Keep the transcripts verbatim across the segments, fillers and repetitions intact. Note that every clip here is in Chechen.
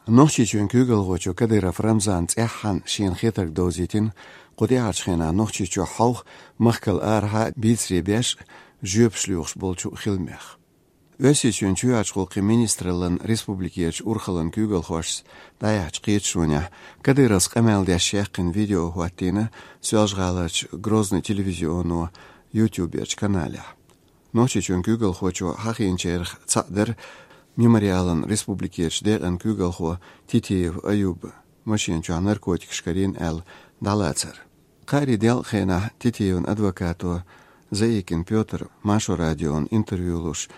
Нохчийчоьнан куьйгалхочо Кадыров Рамзана цӀеххьана шена хетарг довзийтина, кху тӀаьхьарчу хенахь Нохчийчохь хьовха, махкал арахьа бийцаре беш, жоьпаш лоьхуш болчу хиламех. Оьрсийчоьнан чоьхьарчу гӀуллакхийн министраллан республикерчу урхаллан куьйгалхошца дӀаяьхьначу кхеташонехь Кадыровс къамел деш яьккхина видео хӀоттийна Соьлжа-ГӀаларчу Грозный телевизионо YouTube-ерчу каналехь. Нохчийчоьнан куьйгалхочо хьахийначарах цхьаъ дара Мемориалан республикерчу декъан куьйгалхо Титиев Аюб машен чохь наркотикаш карийна аьлла дӀалацар. Кхаарин делкъан хенахь Титиевн адвокато Заикин Пётр Маршо радиона интервью луш,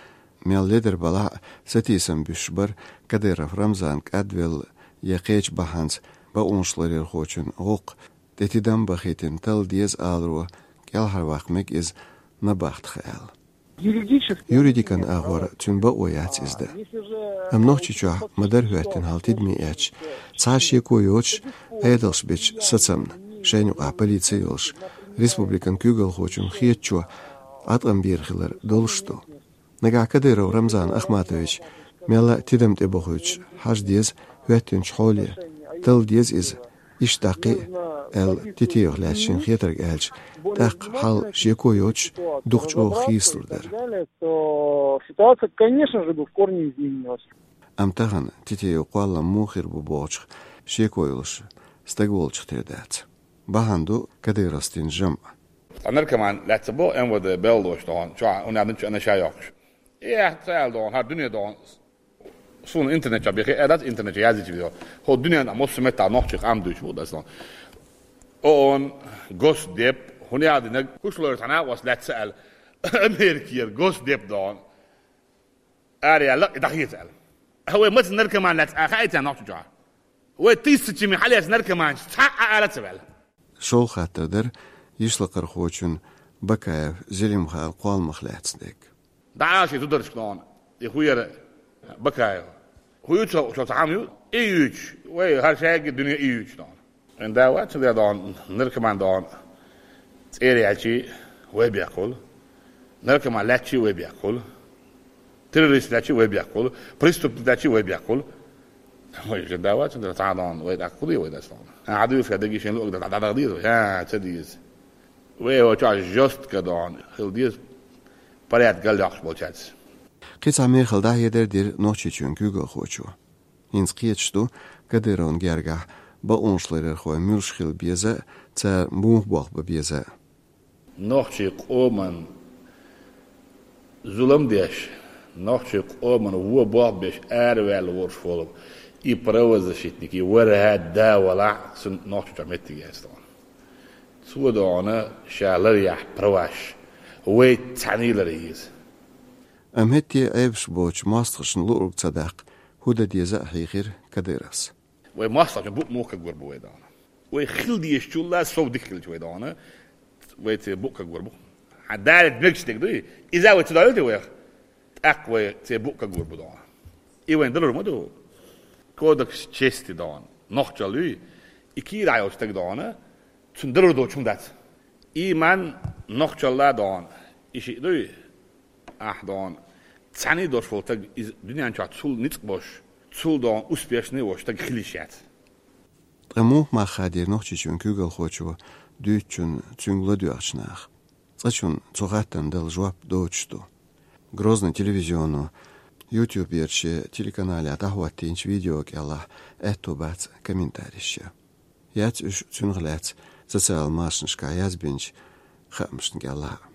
мел ледара балахь а, сатийсам буьсуш бара Кадыров Рамзан кӀадвелла я кхечу бахьанца бакъонашларъярхочун гӀуллакх тӀе тидам бахийтина талла деза аларо кӀелхьарваккха мега иза набахтах аьлла. Юридически Юридикан агӀор цуьнан бакъо яц иза дан. Амма Нохчийчохь ма-дарра хӀоьттина хьал тидаме эцча, цхьа а шеко йоцуш, Ӏедалш бечу сацамна, шайна юкъахь полици йолуш, республикан куьйгалхочун хетачо Ӏаткъам бийр хилар долуш ду. Нагахь Кадыров Рамзан Ахматович мелла а тидам тӀе бохуьйтуш хьажа деза хӀоьттинчу хьоле, талла деза иза, иштта даккхий, аьлла, Титиевх лаьцна шена хетарг аьлча, тӀаккха хьал шеко йоцуш, дукха чӀогӀа хийцалур дара. То ситуация, конечно же, бы в корне изменилась. Амма тахана Титиев кхоллам муха хир бу бохучух шеко йолуш стаг волчух тера дац. Бахьана ду Кадыровс дина жамӀ. Ткъа наркоман лаьцна бо МВД белла долуш тахана, чохь хӀунда аьлча анаша йоккхуш. Э, ца аьлла дохана, хӀара дуьне дохана. Суна интернет чохь бехе а дац, интернет чохь яздича везо. ХӀо дуьненахь массо а меттахь нохчийн къам дуьйцуш бу аса. ООН, Госдеп, хӀун яздинарг, хӀуш лойра цхьа накъост лаьцна аьлла, Америкера Госдеп дохана. Ара яьлла, и дӀахеца аьлла. Хьо вай маца наркоман лаьцна а хаьий царна нохчийн чохь? Вай тысячами хьалаьцна наркоманаш цхьа а ара ца ваьлла. ШолгӀа хаттар дара йишлакхархочун Бакаев Зелимхана кхолламах лаьцна дерг. ДӀа а шен зударшка дохана, и хӀун яра Бакаев. ХӀун ю цо, цо цхьа хӀума ю? И юьйцуш, вай хӀара шайга дуьне и юьйцуш дохана. Вайн да вац, цундела дохана, наркоман дохана, цӀера яьлчий вай бехкахула, наркоман лаьцчий вай бехкахула, террорист лаьцчий вай бехкахула, преступник лаьцчий вай бехкахула. Вай жа да вац, цундела цхьа дохана, вай тӀаккха хӀун де вай дас дохана? Хьан хьан дуьйцуш дагийшина луъург дӀа-, дӀа-, дӀа-, дӀа-, дӀа-, ца деза. Вай вай чохь жестко дохана хила деза, порядок галъяккхуш болчаьрца. Кхин цхьа мехала дӀахьедар дира Нохчийчоьнан куьйгалхочо. ХӀинца кхеташ ду Кадыровн гергахь бакъонашларъярхой муьлш хила беза а, цара муха болх бан беза а. Нохчийн къоман зулам деш, нохчийн къоман вон болх беш араваьлла волуш волу и правозащитник, и вархӀа да валахь, цунна Нохчийчохь меттиг яц дохана. Цо дохана ша ларъяхь праваш, вай цхьаьний ларъе еза. Амма хӀетте а Ӏебаш боцучу мостагӀчунна луург ца даккха, хӀун дан деза а хьийхира Кадыровс. Вай мостагӀчун букъ муха кагор бу вай дохана? Вай хила дезачул а сов дика хилча вай дохана, вай церан букъ кагор бу. Хьан далит мегаш дерг дуй? Иза вай ца дойла те вайх? ТӀаккха вай церан букъ кагор бу дохана. И вайн далур ма ду. Кодекс чести дохана. Нохчалла юй, и кийрахь йолчу стаг дохана, цунна далур доцу хӀума дац. И ман нохчалла дохана. И шиъ дуй? Ахь дохана. Цхьаьний долуш волу стаг иза дуьнен чохь цул ницкъ болуш, цул дохана успешный волуш стаг хила йиш яц. Ткъа муха мах хадийра Нохчийчоьнан куьйгалхочо дуьйцучунна цуьнга ладоьгӀучу наха? Цкъачунна цу хаттарна дала жоп доцуш ду. Грозный телевизионо YouTube-ерчу шен телеканалехь дӀахӀоттийначу видео кӀелахь аьтто бац комментареш ян. Яц уьш цуьнах лаьцна социал машанашкахь язбинчу хаамашна кӀелахь а.